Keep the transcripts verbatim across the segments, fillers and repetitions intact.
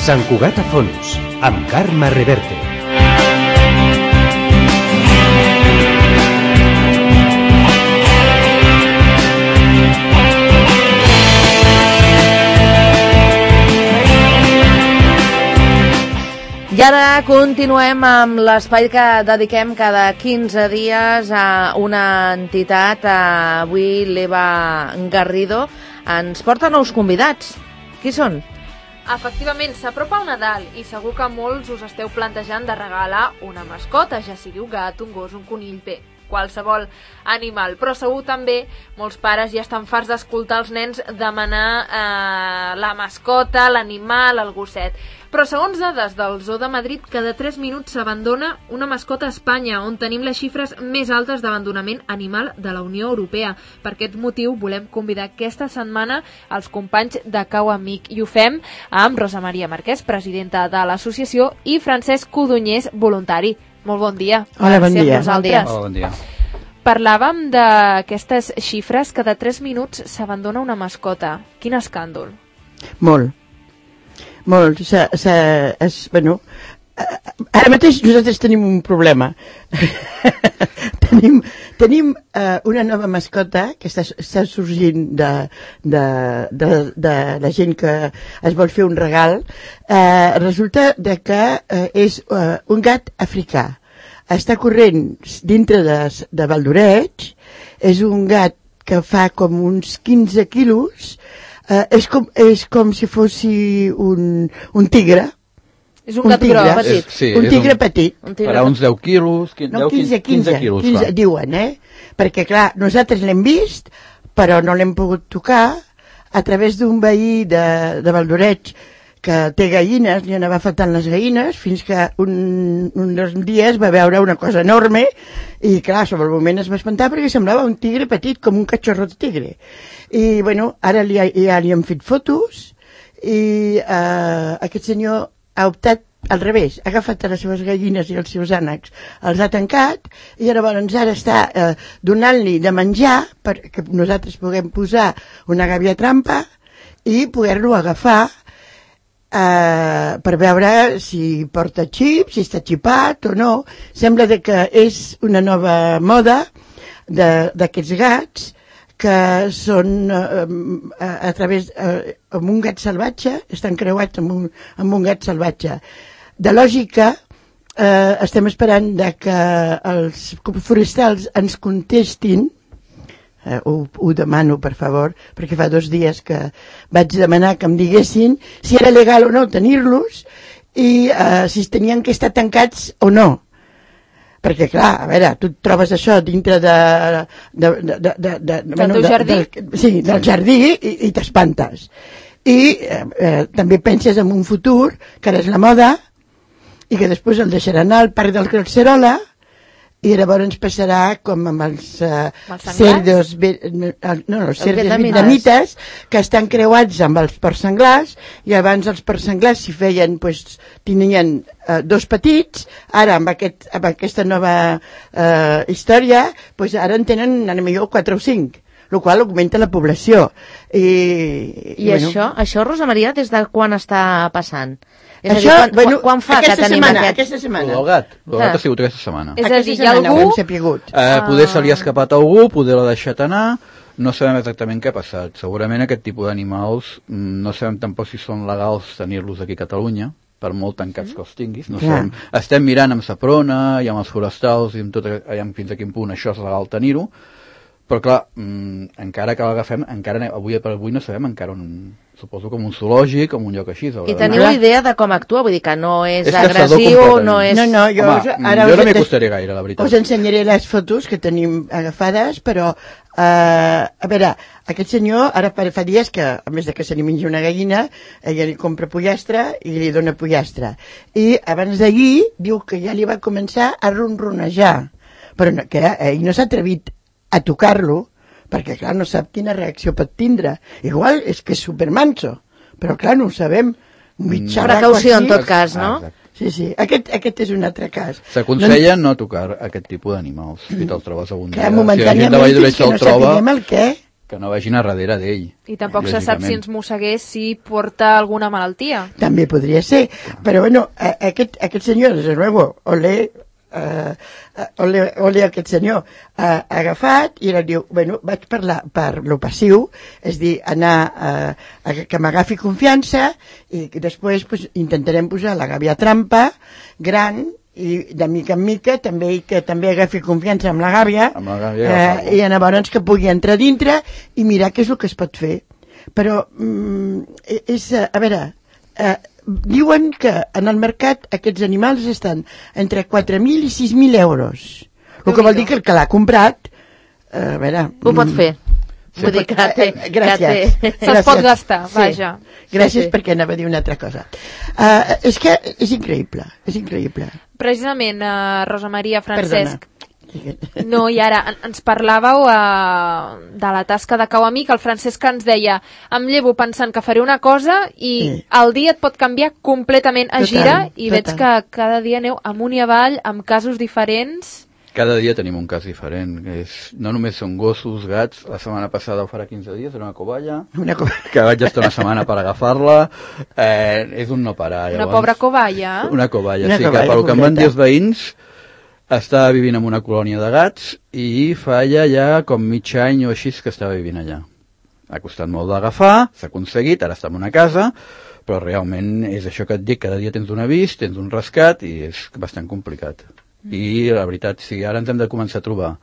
Sant Cugat a fons, amb Carme Reverte. I ara continuem amb l'espai que dediquem cada quinze dies a una entitat. Avui l'Eva Garrido ens porta nous convidats. Qui són? Efectivament, s'apropa el Nadal i segur que molts us esteu plantejant de regalar una mascota, ja sigui un gat, un gos, un conill, bé, qualsevol animal. Però segur també molts pares ja estan farts d'escoltar els nens demanar eh, la mascota, l'animal, el gosset. Però segons dades del Zoo de Madrid, cada tres minuts s'abandona una mascota a Espanya, on tenim les xifres més altes d'abandonament animal de la Unió Europea. Per aquest motiu volem convidar aquesta setmana els companys de Cau Amic, i ho fem amb Rosa Maria Marquès, presidenta de l'associació, i Francesc Codonyés, voluntari. Molt bon dia. Hola, bon dia. Hola, bon dia. Parlàvem d'aquestes xifres, cada tres minuts s'abandona una mascota. Quin escàndol. Molt. Molt, s ha, s ha, és, bueno, ara mateix nosaltres tenim un problema. tenim tenim uh, una nova mascota que està, està sorgint de, de, de, de la gent que es vol fer un regal. Uh, resulta de que uh, és uh, un gat africà. Està corrent dintre de, de Valdoreig. És un gat que fa com uns quinze quilos. Uh, és, com, és com si fossi un, un tigre. És un, un gat gros, petit. És, sí, un tigre un, petit. Un tigre farà uns deu quilos, quinze, no, quinze, quinze, quinze quilos, quinze, diuen, eh? Perquè, clar, nosaltres l'hem vist, però no l'hem pogut tocar a través d'un veí de, de Valdoreig que té gallines, li anava faltant les gallines, fins que un, un dels dies va veure una cosa enorme i, clar, sobre el moment es va espantar perquè semblava un tigre petit, com un cachorro de tigre. I, bueno, ara li, ja li hem fet fotos i eh, aquest senyor ha optat al revés, ha agafat les seves gallines i els seus ànecs, els ha tancat i llavors ara està eh, donant-li de menjar perquè nosaltres puguem posar una gàbia trampa i poder-lo agafar Uh, per veure si porta xip, si està xipat o no. Sembla de que és una nova moda d'aquests gats que són uh, a, a través uh, amb un gat salvatge, estan creuats amb un, amb un gat salvatge. De lògica, uh, estem esperant de que els forestals ens contestin. Uh, ho, ho demano, per favor, perquè fa dos dies que vaig demanar que em diguessin si era legal o no tenir-los i uh, si tenien que estar tancats o no. Perquè, clar, a veure, tu et trobes això dintre de... de, de, de, de, de del bueno, teu de, jardí? De, sí, del jardí i, i t'espantes. I eh, eh, també penses en un futur, que ara és la moda, i que després el deixaran anar al parc del Calcerola, i llavors ens passarà com amb els uh, cerdos, no, no, els cerdos vietnamites que estan creuats amb els porcs senglars i abans els porcs senglars si feien, pues, tenien uh, dos petits, ara amb, aquest, amb aquesta nova uh, història, pues ara en tenen a millor quatre o cinc, el qual augmenta la població. I, I, i bueno. això, això, Rosa Maria, des de quan està passant? És això, a dir, quan, bueno, quan fa aquesta que tenim setmana, aquest... aquesta setmana. El gat, el gat ha sigut aquesta setmana. És a dir, hi ha algú... Eh, poder se li ha escapat a algú, poder l'ha deixat anar, no sabem exactament què ha passat. Segurament aquest tipus d'animals, no sabem tampoc si són legals tenir-los aquí a Catalunya, per molt tancats que els tinguis. No sabem. Estem mirant amb Saprona i amb els forestals i amb tot, fins a quin punt això és legal tenir-ho, però clar, mmm, encara que l'agafem, encara avui per avui no sabem encara on, suposo com un zoològic, com un lloc així. I teniu una idea de com actua? Vull dir que no és, és agressiu, no és... No, no, jo, Home, ara jo no m'hi acostaré gaire, la veritat. Us ensenyaré les fotos que tenim agafades, però, uh, a veure, aquest senyor, ara fa dies que, a més de que se li menja una gallina, ella li compra pollastre i li dona pollastre. I abans d'ahir diu que ja li va començar a ronronejar, però no, que ell no s'ha atrevit a tocar-lo, perquè clar, no sap quina reacció pot tindre. Igual és que és supermanso, però clar, no ho sabem. Precaució en tot cas, no? Ah, sí, sí, aquest, aquest és un altre cas. S'aconsella no tocar aquest tipus d'animals, si te'l trobes algun dia. Clar, momentàniament si fins que no sapiguem el què. que no vagin a darrere d'ell. I tampoc se sap si ens mossegués si porta alguna malaltia. També podria ser, però bueno, aquest, aquest senyor, des de luego, ole, uh, ole, ole aquest senyor ha uh, agafat i ara diu, bueno, vaig parlar per lo passiu, és dir, anar uh, a que m'agafi confiança i després pues, intentarem posar la gàbia trampa gran i de mica en mica també que també agafi confiança amb la gàbia, amb la gàbia eh, i llavors que pugui entrar dintre i mirar què és el que es pot fer. Però mm, és, a veure, eh, diuen que en el mercat aquests animals estan entre quatre mil i sis mil euros, el que vol dir que el que l'ha comprat, eh, a veure... Ho pot fer. Sí, Vull dir que té... gràcies. Que té... Se'ls pot gastar, Sí. vaja. Gràcies Sí, sí. perquè anava a dir una altra cosa. Uh, és que és increïble, és increïble. Precisament, uh, Rosa Maria, Francesc, Perdona. no, i ara en- ens parlàveu uh, de la tasca de cau amic, el Francesc ens deia, em llevo pensant que faré una cosa i Sí. el dia et pot canviar completament a Total, gira i veig total. que cada dia aneu amunt i avall amb casos diferents. Cada dia tenim un cas diferent. És, no només són gossos, gats. La setmana passada, o farà quinze dies, era una coballa, Una cosa... que vaig estar una setmana per agafar-la. Eh, és un no parar. Una Llavors, pobra covalla. Una coballa, Una sí, coballa, que pel que em van pobreta. dir els veïns, estava vivint en una colònia de gats i fa ja, ja com mig any o així que estava vivint allà. Ha costat molt d'agafar, s'ha aconseguit, ara està en una casa, però realment és això que et dic, cada dia tens un avís, tens un rescat i és bastant complicat. I la veritat, si ara ens hem de començar a trobar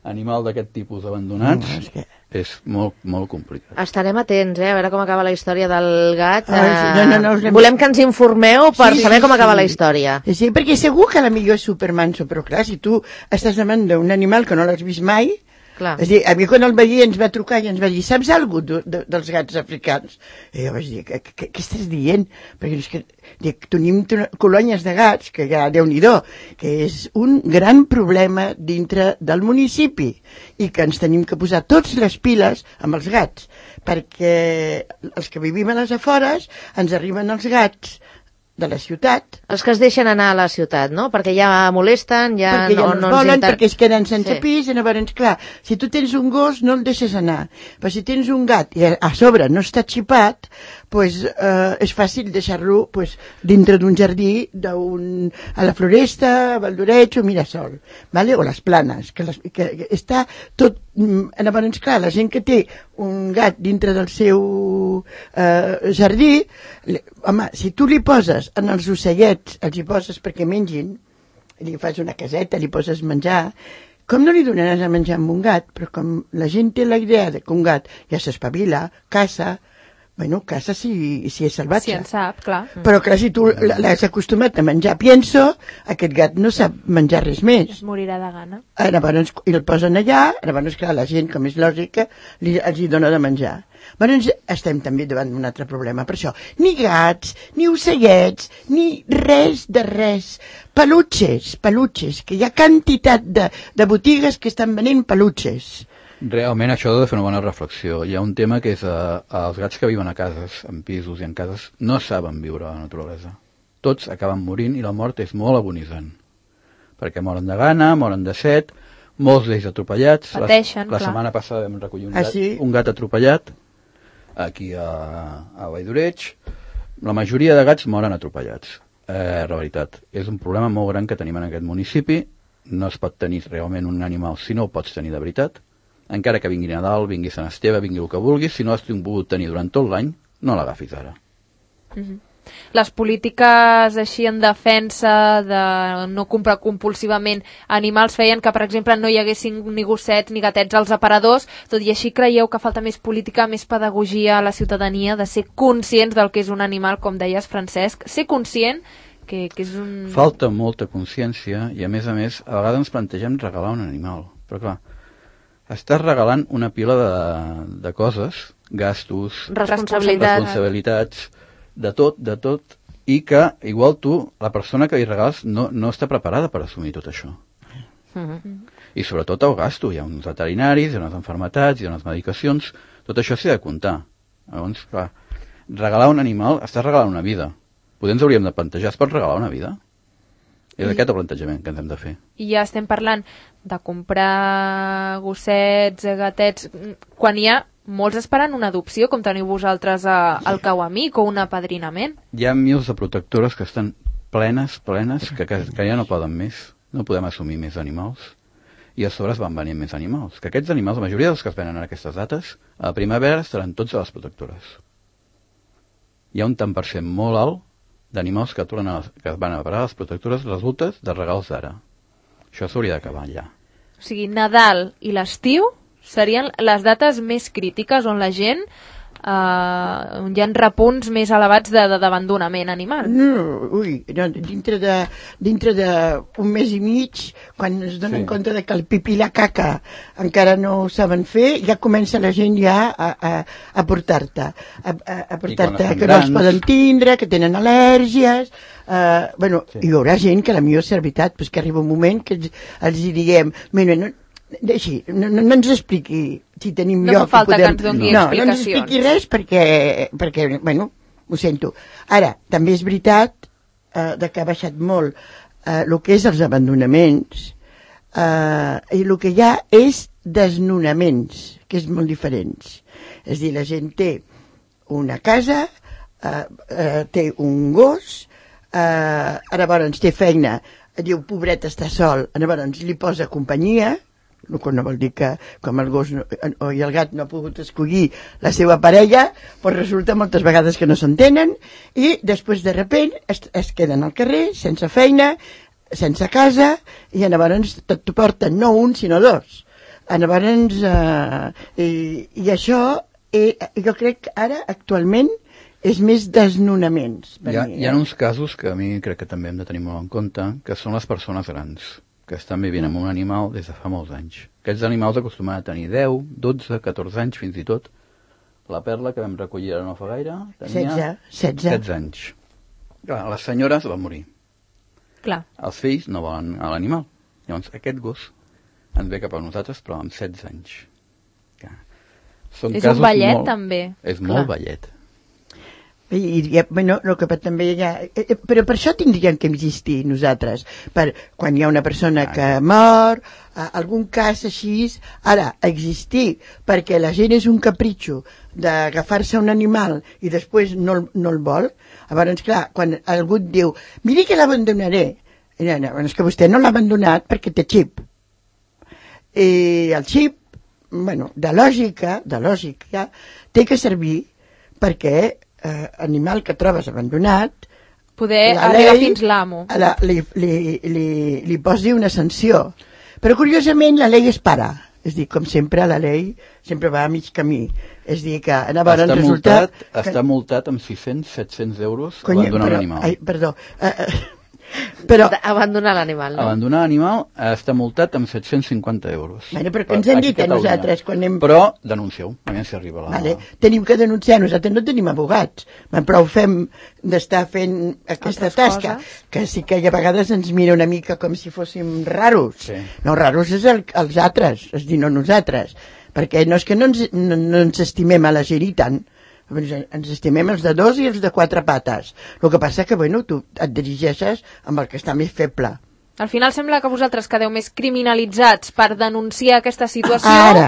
animal d'aquest tipus abandonats, No, és que- és molt, molt complicat. Estarem atents, eh, a veure com acaba la història del gat. Ah, sí, no, no, no, us Eh, hem- volem que ens informeu per Sí, saber sí, com acaba sí. la història. Sí, sí, perquè segur que a la millor és supermanso, però clar, si tu estàs davant d'un animal que no l'has vist mai, Clar. és a dir, a mi quan el veí ens va trucar i ens va dir, saps alguna cosa de, de, dels gats africans? I jo vaig dir, què, què, què estàs dient? Perquè és que dic, tenim t- colònies de gats, que ja, Déu-n'hi-do, que és un gran problema dintre del municipi i que ens tenim que posar tots les piles amb els gats, perquè els que vivim a les afores ens arriben els gats de la ciutat, Els que es deixen anar a la ciutat, no? Perquè ja molesten, ja perquè ja no, no es volen, inter- perquè es queden sense Sí. pis, i llavors, clar, si tu tens un gos no el deixes anar, però si tens un gat i a, a sobre no està xipat, pues, eh, és fàcil deixar-lo pues, dintre d'un jardí, d'un, a la Floresta, a Valdoreig o Mirasol, vale? O les Planes, que, les, que, que està tot... mm, Llavors, clar, la gent que té un gat dintre del seu eh, jardí, li, home, si tu li poses en els ocellets, els hi poses perquè mengin, li fas una caseta, li poses menjar, com no li donaràs a menjar amb un gat? Però com la gent té la idea de que un gat ja s'espavila, caça, bueno, caça si, si és salvatge. Si en sap, clar. Però clar, si tu l- l'has acostumat a menjar pienso, aquest gat no sap menjar res més. Es morirà de gana. Ah, Llavors, i el posen allà, llavors, clar, la gent, com és lògica, li, els hi dona de menjar. Llavors, estem també davant d'un altre problema, per això. Ni gats, ni ocellets, ni res de res. Peluches, peluches, que hi ha quantitat de, de botigues que estan venent peluches. Realment això ha de fer una bona reflexió. Hi ha un tema que és eh, els gats que viuen a cases, en pisos i en cases, no saben viure a la naturalesa. Tots acaben morint i la mort és molt agonitzant. Perquè moren de gana, moren de set, molts d'ells atropellats. Pateixen, la, la clar. setmana passada vam recollir un, Ah, gat, sí? un gat atropellat aquí a, a Valldoreig. La majoria de gats moren atropellats. Eh, la veritat, és un problema molt gran que tenim en aquest municipi. No es pot tenir realment un animal si no el pots tenir de veritat. Encara que vingui Nadal, vingui Sant Esteve, vingui el que vulguis, si no has pogut tenir durant tot l'any, no l'agafis ara. Les polítiques així en defensa de no comprar compulsivament animals feien que, per exemple, no hi haguessin ni gossets ni gatets als aparadors. Tot i així, creieu que falta més política, més pedagogia a la ciutadania, de ser conscients del que és un animal, com deies, Francesc, ser conscient que, que és un... Falta molta consciència i, a més a més, a vegades ens plantegem regalar un animal. Però, clar, estàs regalant una pila de, de coses, gastos, Responsabilitat. responsabilitats, de tot, de tot, i que, igual tu, la persona que li regales, no, no està preparada per assumir tot això. Mhm. I sobretot el gasto, hi ha uns veterinaris, hi ha unes enfermetats, hi ha unes medicacions, tot això s'ha de comptar. Llavors, clar, regalar un animal, estàs regalant una vida. Potser ens hauríem de plantejar, es pot regalar una vida? És I- aquest el plantejament que ens hem de fer. I ja estem parlant de comprar gossets, gatets, quan hi ha molts esperen una adopció, com teniu vosaltres a, al Cauamic, o un apadrinament. Hi ha mils de protectores que estan plenes, plenes, que, que, que ja no poden més. No podem assumir més animals. I a sobre es van venir més animals. Que aquests animals, la majoria dels que es venen en aquestes dates, a la primavera estaran tots a les protectores. Hi ha un tant per cent molt alt d'animals que, que van a parar a les protectores resultes de regals d'ara. Això s'hauria d'acabar ja. O sigui, Nadal i l'estiu serien les dates més crítiques on la gent eh, on hi ha repunts més elevats d'abandonament animal. No, ui, no, dintre de dintre d'un mes i mig, quan es donen sí. compte de que el pipí i la caca encara no ho saben fer, ja comença la gent ja a, a, a portar-te a, a, a portar-te que no els poden tindre, que tenen al·lèrgies. Uh, bueno, sí. Hi haurà gent que la millor és veritat, pues que arriba un moment que els, els diguem, mira, no, deixi, no, no, no ens expliqui si tenim no lloc. No fa falta podem... que ens doni no, explicacions. No ens expliqui res perquè, perquè, bueno, ho sento. Ara, també és veritat uh, de que ha baixat molt uh, el que és els abandonaments uh, i el que hi ha és desnonaments, que és molt diferents. És a dir, la gent té una casa, uh, uh, té un gos, uh, ara llavors té feina, diu, pobret, està sol, llavors li posa companyia, no, no vol dir que com el gos no, o el gat no ha pogut escollir la seva parella, doncs resulta moltes vegades que no s'entenen i després de repent es, es queden al carrer sense feina, sense casa i llavors t'ho porten no un sinó dos. Llavors eh, i, i això eh, jo crec que ara actualment és més desnonaments. Hi ha, mi, eh? hi ha uns casos que a mi crec que també hem de tenir molt en compte, que són les persones grans, que estan vivint amb un animal des de fa molts anys. Aquests animals acostumen a tenir deu, dotze, catorze anys fins i tot. La Perla, que vam recollir ara no fa gaire, tenia setze anys. Clar, les senyores van morir. Clar. Els fills no volen a l'animal. Llavors aquest gos ens ve cap a nosaltres, però amb setze anys. Clar. Són és un ballet, molt, també. És Clar. molt ballet. I, i, bueno, el que també hi ha, eh, però per això tindríem que existir nosaltres, per quan hi ha una persona que mor, eh, algun cas així, ara, existir, perquè la gent és un capritxo d'agafar-se un animal i després no, no el vol, llavors, clar, quan algú et diu, miri que l'abandonaré, és que vostè no l'ha abandonat perquè té xip. I el xip, bueno, de lògica, de lògica, té que servir perquè Eh, animal que trobes abandonat poder arribar fins l'amo li, li, li, li posi una sanció, però curiosament la llei es para, és dir, com sempre la llei sempre va a mig camí, és dir que llavors està resulta multat, que... està multat amb sis-cents a set-cents euros abandonar l'animal. Ai, perdó eh, eh, però abandonar l'animal, no? Abandonar l'animal està multat amb set-cents cinquanta euros. Bueno, però què ens han dit a nosaltres quan anem... Però denuncieu, a mi si arriba la... Vale. Tenim que denunciar, nosaltres no tenim abogats, però ho fem d'estar fent aquesta Altres tasca, coses. Que sí que a vegades ens mira una mica com si fóssim raros. Sí. No, raros és el, els altres, és dir, no nosaltres, perquè no és que no ens, no, no ens estimem a la gent i tant, ens estimem els de dos i els de quatre pates. El que passa que, bueno, tu et dirigeixes amb el que està més feble. Al final sembla que vosaltres quedeu més criminalitzats per denunciar aquesta situació Ara.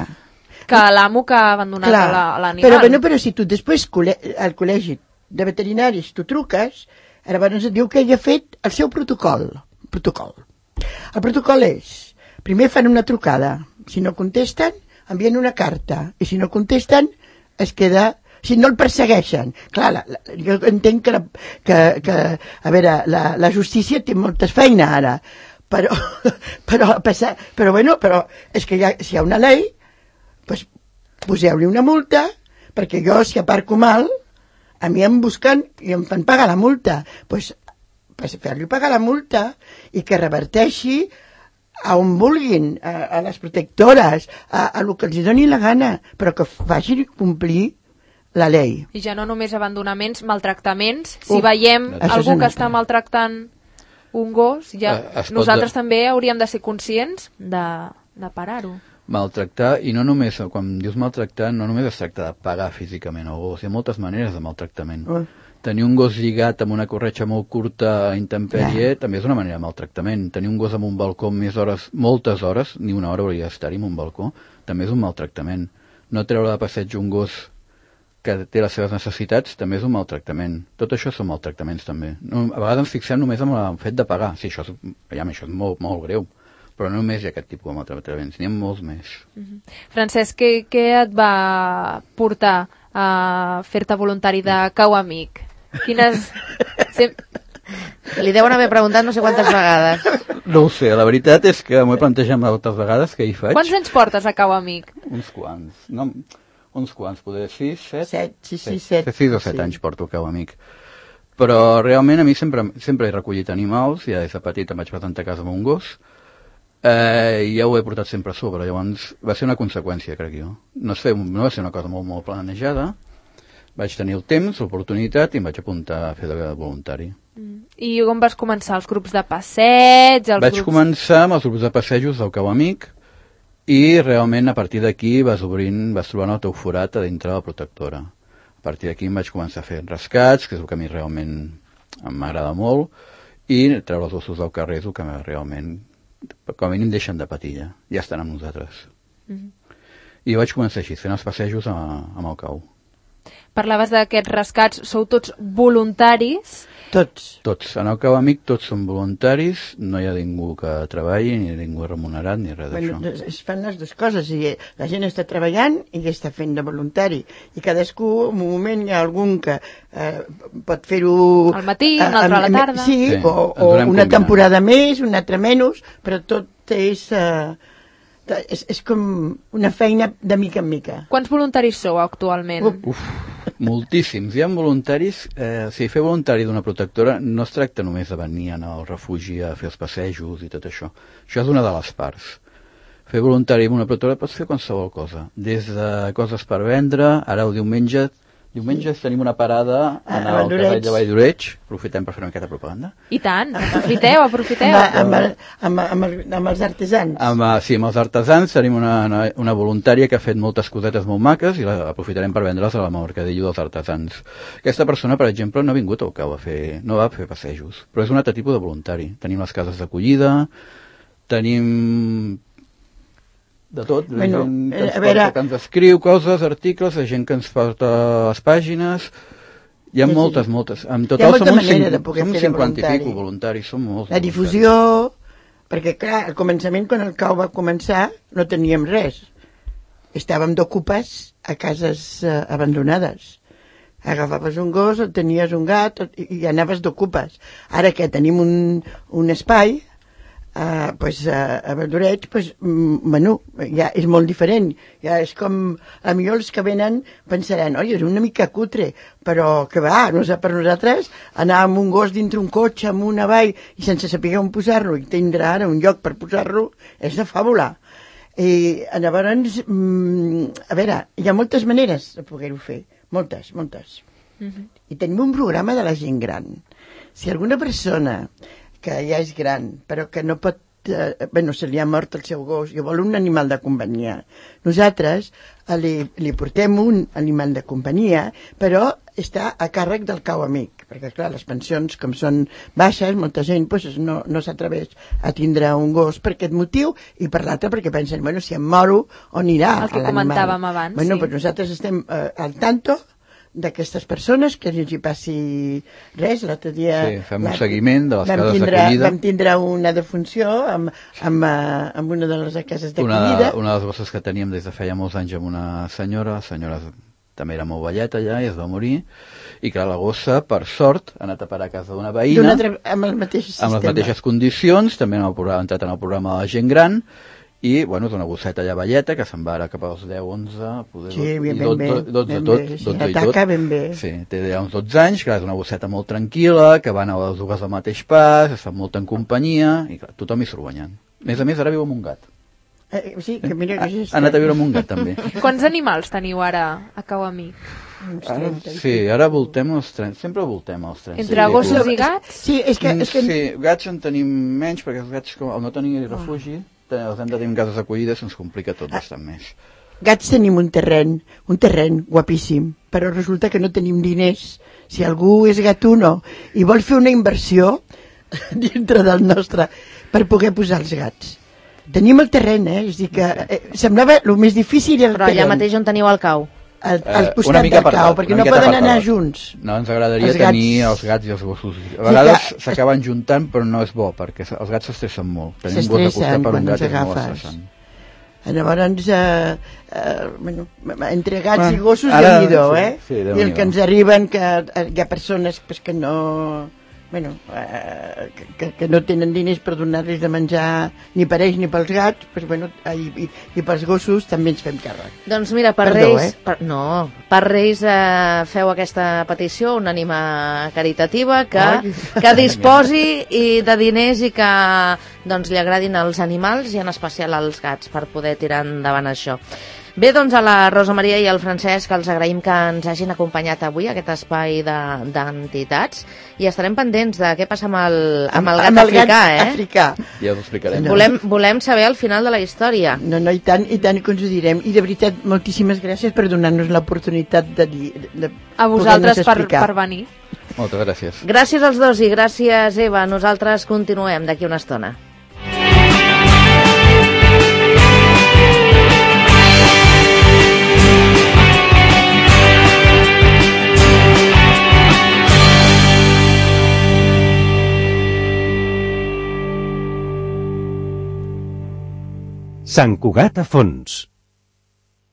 que l'amo que ha abandonat l'animal. Però, bueno, però si tu després al col·legi de veterinaris tu truques, llavors et diu que ell ha fet el seu protocol. Protocol. El protocol és, primer fan una trucada, si no contesten, envien una carta, i si no contesten, es queda... si no el persegueixen. Clar, la, la, jo entenc que, la, que, que a veure, la, la justícia té moltes feina ara, però, però, però, bueno, però és que hi ha, si hi ha una llei, pues, poseu-li una multa, perquè jo, si aparco mal, a mi em busquen i em fan pagar la multa. Pues, pues fer-li pagar la multa i que reverteixi a on vulguin, a, a les protectores, a, a lo que els doni la gana, però que facin complir la llei. I ja no només abandonaments, maltractaments. Si uh, veiem algú que està maltractant un gos, ja uh, nosaltres de... també hauríem de ser conscients de, de parar-ho. Maltractar, i no només, quan dius maltractar, no només es tracta de pagar físicament al gos, hi ha moltes maneres de maltractament. Uh. Tenir un gos lligat amb una corretja molt curta a intempèrie yeah. també és una manera de maltractament. Tenir un gos amb un balcó més hores, moltes hores, ni una hora hauria d'estar-hi en un balcó, també és un maltractament. no treure de passeig un gos que té les seves necessitats també és un maltractament. Tot això són maltractaments també. No, a vegades ens fixem només en el fet de pagar. Sí, això és, ja, això és molt, molt greu, però no només hi ha aquest tipus de maltractaments, n'hi ha molts més. Mm-hmm. Francesc, què, què et va portar a fer-te voluntari de Cau Amic? Quines... Sem... Li deuen haver preguntat no sé quantes vegades. No ho sé, la veritat és que m'ho he plantejat moltes vegades que hi faig. Quants anys portes a Cau Amic? Uns quants. No... Uns quants, poder sis, set... Set, sí, sí, set. Sis o set anys porto Cau Amic. Però realment a mi sempre, sempre he recollit animals, ja des de petit em vaig presentar a casa amb un gos, eh, i ja ho he portat sempre a sobre, llavors va ser una conseqüència, crec jo. No, sé, no va ser una cosa molt, molt planejada, vaig tenir el temps, l'oportunitat, i em vaig apuntar a fer de voluntari. Mm. I on vas començar? Els grups de passeig? Els vaig grups... començar amb els grups de passejos del Cau Amic, i realment a partir d'aquí vas obrint, vas trobant el teu forat a dintre de la protectora. A partir d'aquí em vaig començar a fer rescats, que és el que a mi realment m'agrada molt, i treure els ossos del carrer és el que realment, com a mínim, deixen de patir ja, ja estan amb nosaltres. Mm-hmm. I vaig començar així, fent els passejos a, amb el Cau. Parlaves d'aquests rescats, sou tots voluntaris? Tots. Tots. En el Cau Amic tots són voluntaris, no hi ha ningú que treballi, ni ningú remunerat, ni res d'això. Bueno, es fan les dues coses, i la gent està treballant i està fent de voluntari, i cadascú, en un moment hi ha algun que eh, pot fer-ho... Al matí, un altre a la tarda. Sí, sí, o, o una combinant. Temporada més, una altra menys, però tot és... Eh, és, és com una feina de mica en mica. Quants voluntaris sou actualment? Uf, moltíssims. Hi ha voluntaris, eh, si fer voluntari d'una protectora no es tracta només de venir al refugi a fer els passejos i tot això. Això és una de les parts. Fer voluntari en una protectora pots fer qualsevol cosa. Des de coses per vendre, ara el diumenge, diumenge tenim una parada en el carrer de Vall d'Oreig. Aprofitem per fer una miqueta de propaganda. I tant, aprofiteu, aprofiteu. Amb, amb, el, amb, amb, el, amb els artesans. Amb, sí, amb els artesans tenim una, una, una voluntària que ha fet moltes cosetes molt maques i la aprofitarem per vendre's a la mercadillo dels artesans. Aquesta persona, per exemple, no ha vingut al Cau a fer, no va a fer passejos, però és un altre tipus de voluntari. Tenim les cases d'acollida, tenim... de tot, la bueno, gent que ens, a veure... porta, que ens escriu coses, articles, la gent que ens porta les pàgines, hi ha sí, moltes, sí. moltes. En total som uns cinquanta i pico voluntaris, som molts. La difusió, perquè clar, al començament, quan el Cau va començar, no teníem res. Estàvem d'ocupes a cases eh, abandonades. Agafaves un gos, o tenies un gat, i, i anaves d'ocupes. Ara que tenim un, un espai, Uh, pues, uh, a Valdoreig, pues, mm, bueno, ja és molt diferent. Ja és com, a millor els que venen pensaran, oi, és una mica cutre, però que va, no sé, per nosaltres anar amb un gos dintre un cotxe, amb una vall, i sense saber on posar-lo, i tindre ara un lloc per posar-lo, és de fàbula. I llavors, mm, a veure, hi ha moltes maneres de poder-ho fer, moltes, moltes. Mm-hmm. I tenim un programa de la gent gran. Si alguna persona que ja és gran, però que no pot... Eh, bueno, se li ha mort el seu gos i vol un animal de companyia. Nosaltres eh, li, li portem un animal de companyia, però està a càrrec del Cau Amic, perquè, clar, les pensions, com són baixes, molta gent pues, no, no s'atreveix a tindre un gos per aquest motiu i per l'altre perquè pensen, bueno, si em moro, on irà l'animal? El que comentàvem abans, bueno, sí. Pues nosaltres estem eh, al tanto d'aquestes persones, que no hi passi res. L'altre dia sí, fem un seguiment de les cases tindre, d'acollida. Vam tindre una defunció amb, amb, amb una de les cases d'acollida. Una, una de les bosses que teníem des de feia molts anys amb una senyora, la senyora també era molt velleta ja i es va morir, i clar, la gossa, per sort, ha anat a parar a casa d'una veïna altra, amb, el mateix sistema. amb les mateixes condicions, també ha entrat en el programa de la gent gran, i, bueno, és una gosseta ja velleta que se'n va ara cap als deu, onze, poder, sí, ben, i dotze, ben, dotze, ben tot, bé, sí, dotze i ataca tot. Ben bé. Sí, té ja uns dotze anys, clar, és una gosseta molt tranquil·la, que van a les dues al mateix pas, es fan molt en companyia, i clar, tothom hi surt guanyant. A més a més, ara viu amb un gat. Eh, sí, que mira que ha, ha anat a viure amb un gat, també. Quants animals teniu ara a Cau Amic? Ara, sí, ara voltem els trenta, sempre voltem els trenta. Entre sí, gossos i gats? Sí, és que... És que... Sí, gats en tenim menys, perquè els gats, com, al no tenir refugi, els hem de tenir en cases d'acollida, se'ns complica tot bastant més. Gats tenim un terreny, un terreny guapíssim, però resulta que no tenim diners. Si algú és gatuno i vol fer una inversió dintre del nostre per poder posar els gats. Tenim el terreny, eh? És a dir que eh, semblava el més difícil el Però allà terreny. mateix on teniu el cau. Al, al Eh, costat una mica del per cau, dalt, perquè una no miqueta poden per anar dalt. junts. No, ens agradaria Els gats- tenir els gats i els gossos. A Sí, vegades que- s'acaben juntant, però no és bo, perquè els gats s'estressen molt. Tenir un gos de S'estressen costat per quan un gat els és molt agafes. estressant. Llavors, eh, eh, bueno, entre gats Bueno, i gossos, ara- Déu-n'hi-do, sí, eh? sí, I Déu-n'hi-do. el que ens arriben, que eh, hi ha persones pues, que no... Bueno, eh, que, que no tenen diners per donar-los de menjar ni per ells ni pels gats, pues, bueno, i, i, i pels gossos també ens fem càrrec. Doncs mira, per Perdó, Reis... eh? Per, no, per Reis eh, feu aquesta petició, una ànima caritativa que, Ai. que disposi i de diners i que doncs, li agradin els animals i en especial als gats per poder tirar endavant això. Bé, doncs a la Rosa Maria i al Francesc els agraïm que ens hagin acompanyat avui a aquest espai de- d'entitats i estarem pendents de què passa amb el, amb el gat Amb el africà, gat eh? africà. Ja us ho explicarem. No. Volem, volem saber el final de la història. No, no, i tant, i tant que us ho direm. I de veritat, moltíssimes gràcies per donar-nos l'oportunitat de, dir- de A vosaltres poder-nos per, explicar. per venir. Moltes gràcies. Gràcies als dos i gràcies, Eva. Nosaltres continuem d'aquí una estona. Sant Cugat a fons.